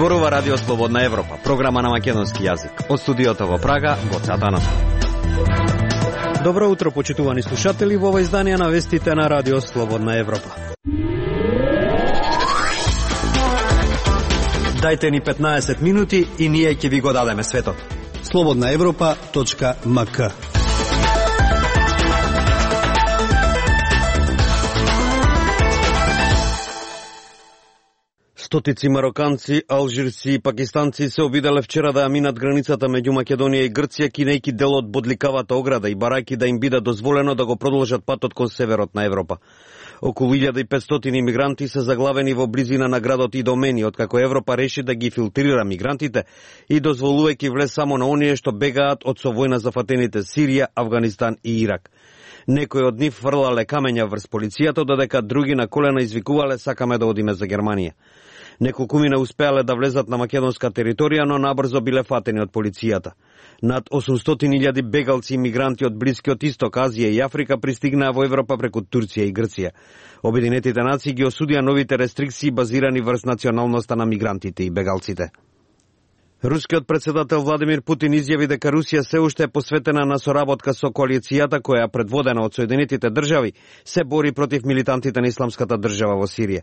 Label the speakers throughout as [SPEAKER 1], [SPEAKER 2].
[SPEAKER 1] Зборува Радио Слободна Европа, програма на македонски јазик. Од студиото во Прага, Гоце Атанасов. Добро утро, почитувани слушатели, во ова издание на вестите на Радио Слободна Европа. Дајте ни 15 минути и ние ќе ви го дадеме светот.
[SPEAKER 2] slobodnaevropa.mk.
[SPEAKER 1] Стотици мароканци, алжирци и пакистанци се обиделе вчера да ја минат границата меѓу Македонија и Грција, кинејки дел од бодливкавата ограда и барајки да им биде дозволено да го продолжат патот кон северот на Европа. Околу 1500 имигранти се заглавени во близина на градот Идомени, откако Европа реши да ги филтрира мигрантите и дозволувајќи влез само на оние што бегаат од со војна зафатените Сирија, Авганистан и Ирак. Некои од нив фрлале камења врз полицијата, додека други на колена извикувале сакаме да одиме за Германија. Неколкумина успеале да влезат на македонска територија, но набрзо биле фатени од полицијата. Над 800.000 бегалци и мигранти од Блискиот Исток, Азија и Африка пристигнаа во Европа преку Турција и Грција. Обединетите нации ги осудија новите рестрикции базирани врз националноста на мигрантите и бегалците. Рускиот председател Владимир Путин изјави дека Русија се уште е посветена на соработка со коалицијата која, предводена од Соединетите држави, се бори против милитантите на Исламската држава во Сирија.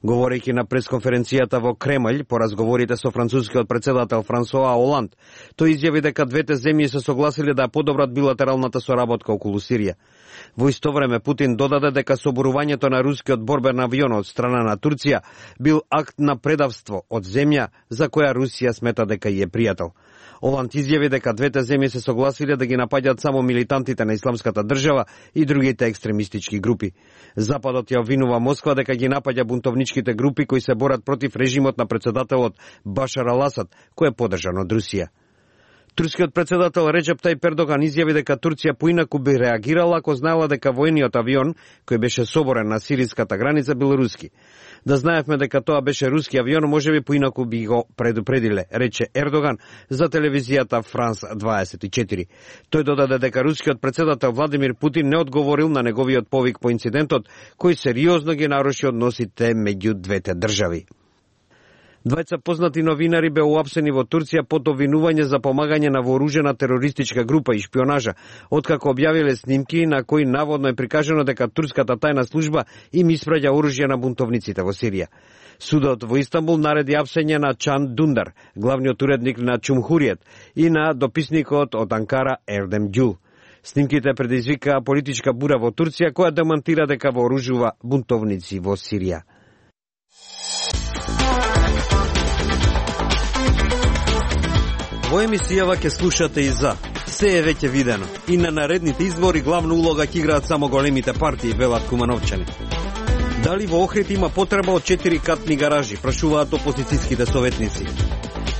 [SPEAKER 1] Говорејќи на пресконференцијата во Кремљ по разговорите со францускиот председател Франсоа Оланд, тој изјави дека двете земји се согласиле да подобрат билатералната соработка околу Сирија. Во исто време Путин додаде дека соборувањето на рускиот борбен авион од страна на Турција бил акт на предавство од земја за која Русија смета дека е пријател. Оланд изјави дека двете земји се согласиле да ги напаѓаат само милитантите на Исламската држава и другите екстремистички групи. Западот ја обвинува Москва дека ги напаѓа бунтовничките групи кои се борат против режимот на председателот Башар ал-Асад, кој е поддржан од Русија. Турскиот председател Реджеп Тајип Ердоган изјави дека Турција поинаку би реагирала ако знаела дека војниот авион кој беше соборен на сириската граница бил руски. Да знаевме дека тоа беше руски авион, можеби поинаку би го предупредиле, рече Ердоган за телевизијата Франс 24. Тој додаде дека рускиот председател Владимир Путин не одговорил на неговиот повик по инцидентот, кој сериозно ги наруши односите меѓу двете држави. Двајца познати новинари беа уапсени во Турција под обвинување за помагање на вооружена терористичка група и шпионажа, откако објавиле снимки на кои наводно е прикажано дека турската тајна служба им испраќа оружје на бунтовниците во Сирија. Судот во Истанбул нареди апсење на Чан Дундар, главниот уредник на Чумхуриет, и на дописникот од Анкара Ердем Ѓул. Снимките предизвикаа политичка бура во Турција, која демонтира дека вооружува бунтовници во Сирија. Во емисијава ќе слушате и за се е веќе видено. И на наредните избори главна улога ќе играат само големите партии, велат кумановчани. Дали во Охрид има потреба од 4-катни гаражи, прашуваат опозицијските советници.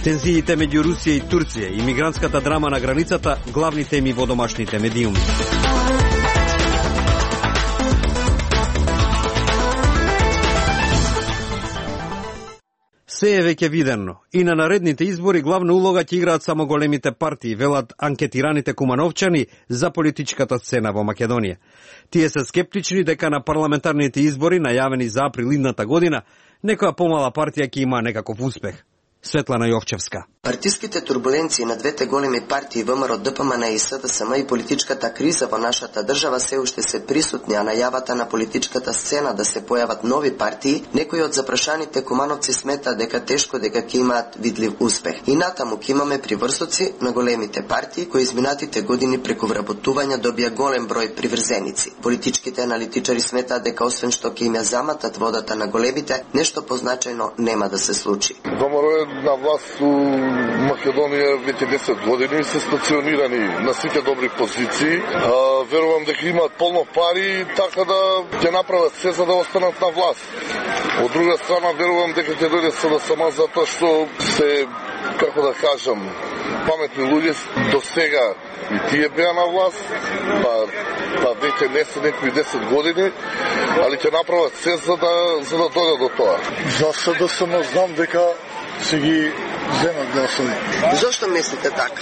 [SPEAKER 1] Тензиите меѓу Русија и Турција и мигрантската драма на границата, главни теми во домашните медиуми. Се е веќе видено. И на наредните избори главна улога ќе играат само големите партии, велат анкетираните кумановчани за политичката сцена во Македонија. Тие се скептични дека на парламентарните избори, најавени за април идната година, некоја помала партија ќе има некаков успех. Светлана Јовчевска.
[SPEAKER 3] Партиските турбуленции на двете големи партии ВМРО, ДПМН и СДСМ и политичката криза во нашата држава се уште се присутни, а најавата на политичката сцена да се појават нови партии, некои од запрашаните кумановци смета дека тешко дека ќе имаат видлив успех. И натаму ќе имаме приврсоци на големите партии кои изминатите години преку вработување добија голем број приврзеници. Политичките аналитичари сметаат дека освен што ќе им ја заматат водата на големите, нешто позначајно нема да се случи.
[SPEAKER 4] На власт у Македонија веќе 10 години се стационирани на сите добри позиции. Верувам дека имаат полно пари, така да ќе направат се за да останат на власт. Од друга страна верувам дека ќе дојде СДСМ затоа што се, како да кажам, паметни луѓе до сега и тие беа на власт, па веќе не се некои 10 години, али ќе направат се за да дојдат до тоа.
[SPEAKER 5] За СДСМ знам дека се ги земат гласови.
[SPEAKER 3] Зошто мислите така?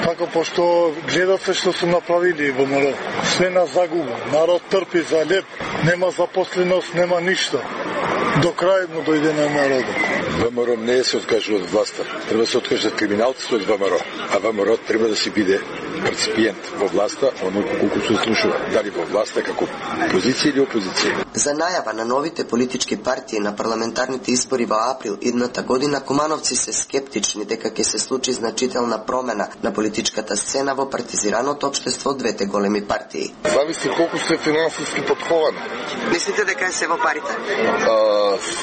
[SPEAKER 5] Така, пошто гледат се што се направили во народ. Све на загуба. Народ трпи за леп. Нема запосленост, нема ништо. До крај му дојде на народот.
[SPEAKER 2] ВМРО не се откажува од власта. Треба да се откажат криминалците од ВМРО, а ВМРО треба да си биде реципиент во власта, оноliko колку се слушува, дали во власта како позиција или опозиција.
[SPEAKER 3] За најава на новите политички партии на парламентарните избори во април идната година, кумановци се скептични дека ќе се случи значителна промена на политичката сцена во партизираното општество од двете големи партии.
[SPEAKER 4] Зависи колку се финансиски подховани.
[SPEAKER 3] Мислите дека е се во парите?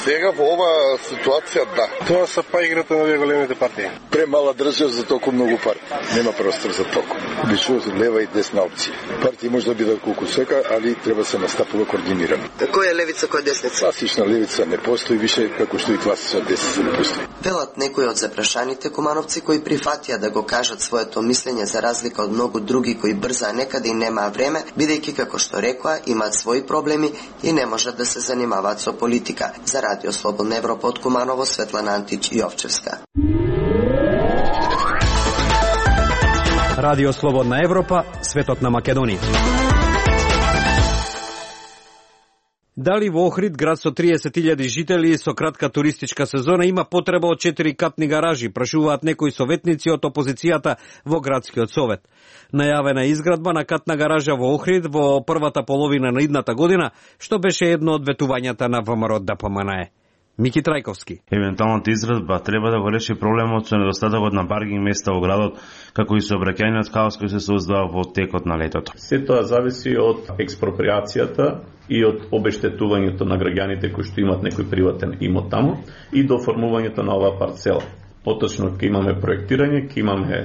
[SPEAKER 4] Сега во оваа ситуација да.
[SPEAKER 5] Тоа се па играта на две големите партии.
[SPEAKER 2] Премала држава за толку многу пари. Нема простор за толку. Обично лева и десна опција. Партии може да бидат колку сека, али треба се настапува координирано.
[SPEAKER 3] Кој е левица, кој е десница?
[SPEAKER 2] Класична левица не постои више, како што и класична десница не постои.
[SPEAKER 3] Велат некои од запрашаните кумановци кои прифатија да го кажат своето мислење за разлика од многу други кои брзаа некаде и немаа време, бидејќи како што рекоа имаат своји проблеми и не можат да се занимаваат со политика. За Радио Слободна Европа од Куманово, Светлана Антич и Овчевска.
[SPEAKER 1] Радио Слободна Европа, светот на Македонија. Дали во Охрид, град со 30.000 жители со кратка туристичка сезона, има потреба од 4-катни гаражи, прашуваат некои советници од опозицијата во градскиот совет. Најавена изградба на катна гаража во Охрид во првата половина на идната година, што беше едно од ветувањата на ВМРО ДПМНЕ. Мики Трајковски.
[SPEAKER 6] Евентуалната изградба треба да го реши проблемот со недостатокот на паркинг места во градот, како и сообраќајниот хаос кој се создава во текот на летото.
[SPEAKER 7] Се тоа зависи од експроприацијата и од обештетувањето на граѓаните кои што имаат некој приватен имот таму и до формувањето на оваа парцела. Поточно ќе имаме проектирање, ќе имаме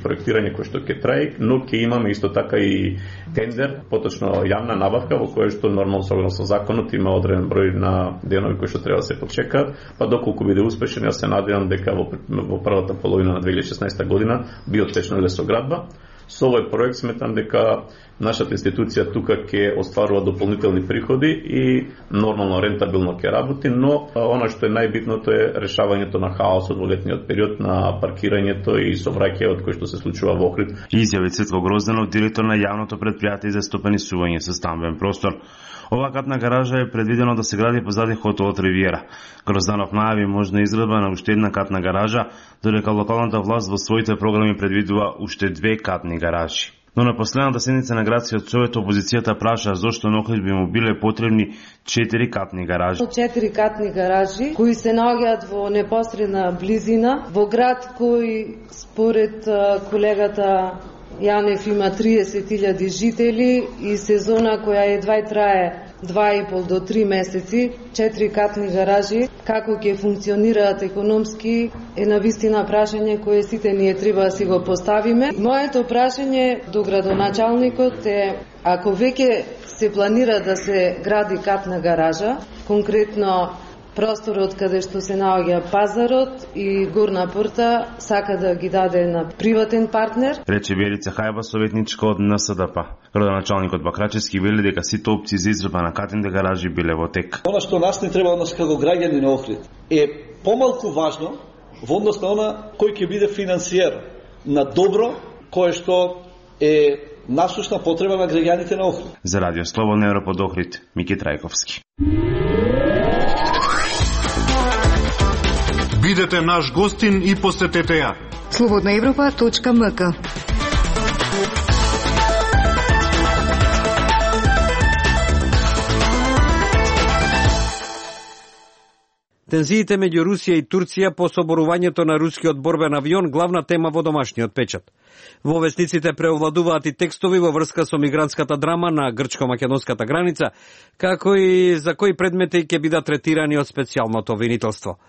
[SPEAKER 7] проектирање кој што ќе трае, но ќе имаме исто така и тендер, поточно јавна набавка во која што нормално согласно законот има одреден број на денови кои што треба да се почекаат, па доколку биде успешен, јас се надевам дека во првата половина на 2016 година би отпочнала лесоградба. Со овој проект сметам дека нашата институција тука ќе остварува дополнителни приходи и нормално рентабилно ќе работи, но она што е најбитното е решавањето на хаосот во летниот период, на паркирањето и сообраќајот кој што се случува во Охрид.
[SPEAKER 6] Изјави Цветко Грозданов, директор на јавното предпријатие за стопанисување со стамбен простор. Ова катна гаража е предвидено да се гради позади хотелот Ривиера. Грозданов најави можна изградба на уште една катна гаража, додека локалната власт во своите програми предвидува уште 2 катни гаражи. Но на последната седница на градскиот совет опозицијата праша зошто на Охрид би му биле потребни 4 катни гаражи.
[SPEAKER 8] 4 катни гаражи кои се наоѓаат во непосредна близина во град кој според колегата Јанев има 30.000 жители и сезона која едва трае 2,5 до 3 месеци, 4 катни гаражи, како ќе функционираат економски, е навистина прашање кое сите ние треба да си го поставиме. Моето прашање до градоначалникот е, ако веќе се планира да се гради катна гаража, конкретно просторот каде што се наоѓа пазарот и горна порта сака да ги даде на приватен партнер.
[SPEAKER 6] Рече Верица Хајба, советничка од НСДП. Градоначалникот Бакрачевски вели дека сите опции за изградба на катните гаражи биле во тек.
[SPEAKER 9] Она што нас не треба нас како граѓани на Охрид е помалку важно во однос на она кој ќе биде финансиер на добро кое што е насушна потреба на граѓаните на Охрид.
[SPEAKER 6] За Радио Слободна Европа од Охрид, Мики Трајковски.
[SPEAKER 10] Бидете наш гостин и посетете ја.
[SPEAKER 11] slobodnaevropa.mk.
[SPEAKER 1] Тензиите меѓу Русија и Турција по соборувањето на рускиот борбен авион главна тема во домашниот печат. Во вестниците преовладуваат и текстови во врска со мигрантската драма на грчко-македонската граница, како и за кои предмети ќе бидат третирани од специјалното обвинителство.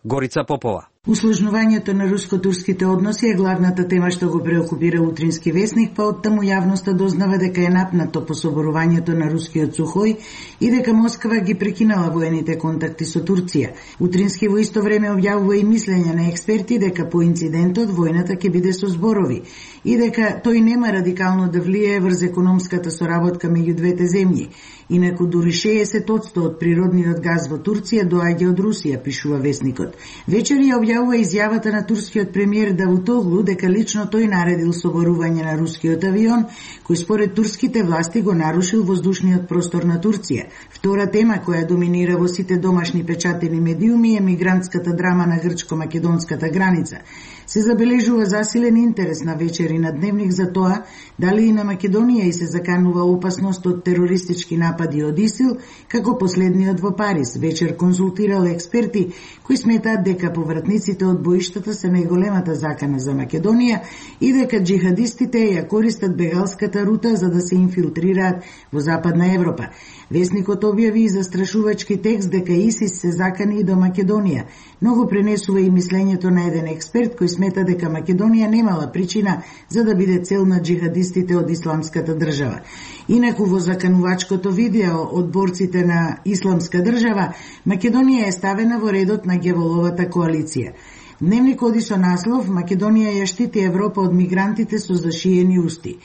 [SPEAKER 1] Горица Попова.
[SPEAKER 12] Усложнувањето на руско-турските односи е главната тема што го преокупира утрински весник, па оттаму јавноста дознава дека е напнато по соборувањето на рускиот Сухој и дека Москва ги прекинала воените контакти со Турција. Утрински во исто време објавува и мислење на експерти дека по инцидентот војната ќе биде со зборови и дека тој нема радикално да влијае врз економската соработка меѓу двете земји. Инаку дури 60% од природниот газ во Турција доаѓа од Русија, пишува весникот. Вечери ја објавува изјавата на турскиот премиер Давутоглу дека лично тој наредил соборување на рускиот авион, кој според турските власти го нарушил воздушниот простор на Турција. Втора тема која доминира во сите домашни печатени медиуми е мигрантската драма на грчко-македонската граница. Се забележува засилен интерес на вечери на Дневник за тоа дали и на Македонија и се заканува опасност од терористички напади од ИСИЛ, како последниот во Париз. Вечер консултирал експерти кои сметаат дека повратниците од боиштата се најголемата закана за Македонија и дека джихадистите ја користат бегалската рута за да се инфилтрираат во Западна Европа. Весникот објави и застрашувачки текст дека ИСИС се закани и до Македонија, но го пренесува и мислењето на еден експерт кој смета дека Македонија немала причина за да биде цел на джихадистите од исламската држава. Инаку во заканувачкото видео од борците на исламска држава, Македонија е ставена во редот на Геволовата коалиција. Дневник оди со наслов Македонија ја штити Европа од мигрантите со зашиени усти.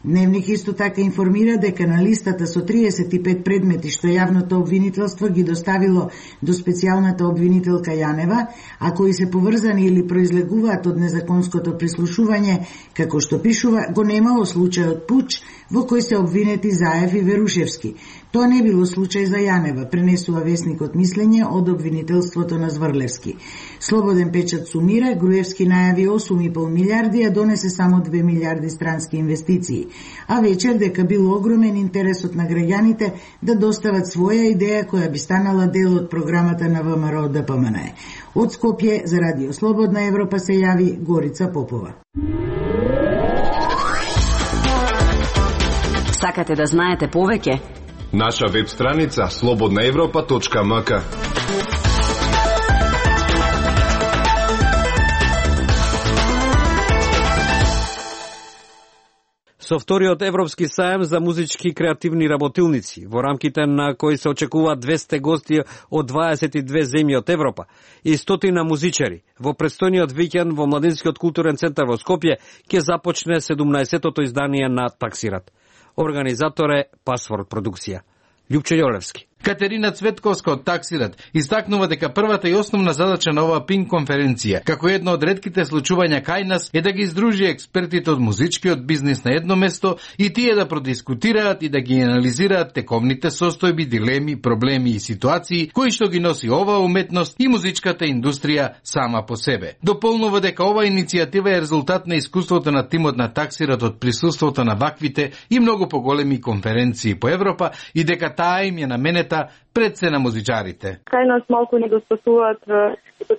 [SPEAKER 12] Дневник исто така информира дека на листата со 35 предмети што јавното обвинителство ги доставило до специјалната обвинителка Јанева, а кои се поврзани или произлегуваат од незаконското прислушување, како што пишува, го немало случајот пуч во кој се обвинети Заев и Верушевски. Тоа не било случај за Јанева, пренесува весникот мислење од обвинителството на Зврлевски. Слободен печат сумира, Груевски најави 8,5 милиарди, а донесе само 2 милиарди странски инвестиции. А вечер дека бил огромен интересот на граѓаните да достават своја идеја која би станала дел од програмата на ВМРО ДПМН. Од Скопје за Радио Слободна Европа се јави Горица Попова.
[SPEAKER 13] Сакате да знаете повеќе?
[SPEAKER 14] Наша веб страница slobodnaevropa.mk.
[SPEAKER 1] Со вториот Европски сајам за музички креативни работилници, во рамките на кој се очекуваат 200 гости од 22 земји од Европа и 100 музичари, во престојниот викенд во Младинскиот културен центар во Скопје ќе започне 17-тото издание на Таксират. Организатор е Пасворд продукција. Љупчо Јолевски.
[SPEAKER 15] Катерина Цветковска од Таксират истакнува дека првата и основна задача на оваа пинг конференција, како едно од ретките случувања кај нас, е да ги издружи експертите од музичкиот бизнис на едно место и тие да продискутираат и да ги анализираат тековните состојби, дилеми, проблеми и ситуации кои што ги носи оваа уметност и музичката индустрија сама по себе. Дополнува дека оваа иницијатива е резултат на искуството на тимот на Таксират од присуството на ваквите и многу поголеми конференции по Европа и дека таа им е наменета пред се на музичарите.
[SPEAKER 16] Кај нас малку недостасуваат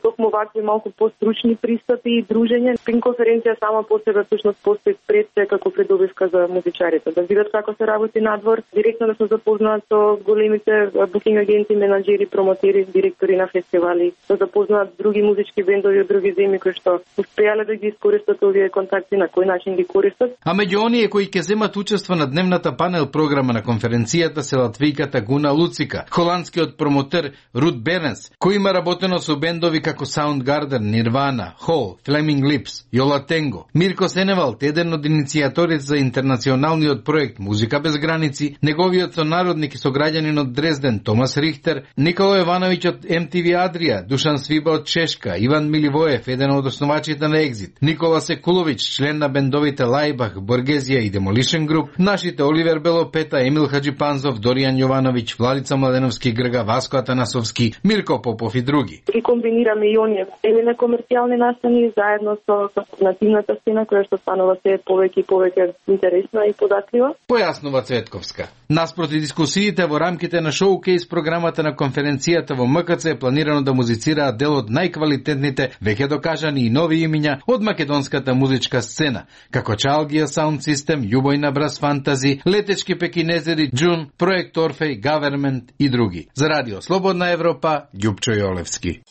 [SPEAKER 16] токму вакви малку постручни пристапи и дружење. Пинг конференција сама по себе всушност постои пред се како предобивка за музичарите. Да видат како се работи надвор, директно да се запознаат со големите букинг агенти, менаџери, промотери, директори на фестивали, да запознаат други музички бендови од други земји кои што успеале да ги искористат овие контакти, на кој начин ги користат.
[SPEAKER 15] А меѓу оние кои ќе земат учество на дневната панел програма на конференцијата се латвијката Гуна Луцика, холандскиот промотер Рут Беренс, кој има работено со бендови како Soundgarden, Nirvana, Hole, Flaming Lips, Јола Тенго, Мирко Сеневалт, еден од иницијаторите за интернационалниот проект Музика без граници, неговиот сонародник и сограѓанин од Дрезден Томас Рихтер, Никола Јовановиќ од MTV Адрија, Душан Свиба од Чешка, Иван Миливоев, еден од основачите на Екзит, Никола Секуловиќ, член на бендовите Лајбах, Боргезија и Demolition Group, нашите Оливер Белопета, Емил Хаджипанзов, Доријан Јовановиќ, Владица Младеновски, Грга Васко Атанасовски, Мирко Попов и други.
[SPEAKER 16] И комбинираме и оние на комерцијални настани заедно со нативната сцена која што станува се повеќе и повеќе интересна и податлива.
[SPEAKER 15] Појаснува Цветковска. Наспроти дискусиите во рамките на шоукейс програмата на конференцијата во МКЦ е планирано да музицираат дел од најквалитетните, веќе докажани и нови имиња од македонската музичка сцена, како Чалгија Sound System, Љубојна Брас Фантази, Летечки Пекинезери, Джун, Проект Орфеј, Гавермент и други. За Радио Слободна Европа, Љупчо Јолевски.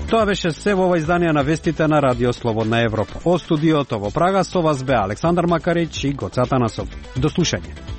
[SPEAKER 1] Тоа беше се во ова издание на вестите на Радио Слободна Европа. Од студиото во Прага со вас бе Александар Макарич и Гоце Атанасов. До слушање.